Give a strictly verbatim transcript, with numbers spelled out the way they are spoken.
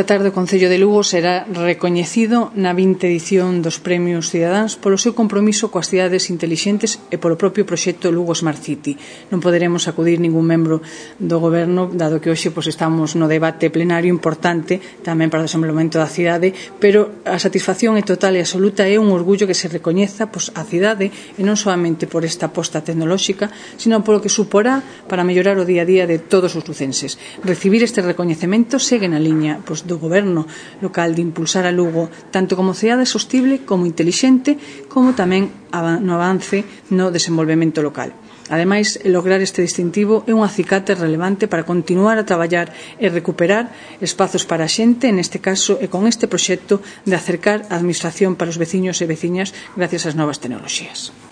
Esta tarde o Concello de Lugo será recoñecido na vinte edición dos Premios Cidadáns polo seu compromiso coas cidades intelixentes e polo propio proxecto Lugo Smart City. Non poderemos acudir ningún membro do Goberno, dado que hoxe pois, estamos no debate plenario importante tamén para o desenvolvemento da cidade, pero a satisfacción é total e absoluta, é un orgullo que se recoñeza pois, a cidade e non solamente por esta aposta tecnolóxica, sino polo que suporá para mellorar o día a día de todos os lucenses. Recibir este recoñecemento segue na liña pois, do Goberno local de impulsar a Lugo tanto como cidade sostible como intelixente, como tamén no avance no desenvolvemento local. Ademais, lograr este distintivo é un acicate relevante para continuar a traballar e recuperar espazos para a xente, neste caso e con este proxecto de acercar a administración para os veciños e veciñas gracias ás novas tecnoloxías.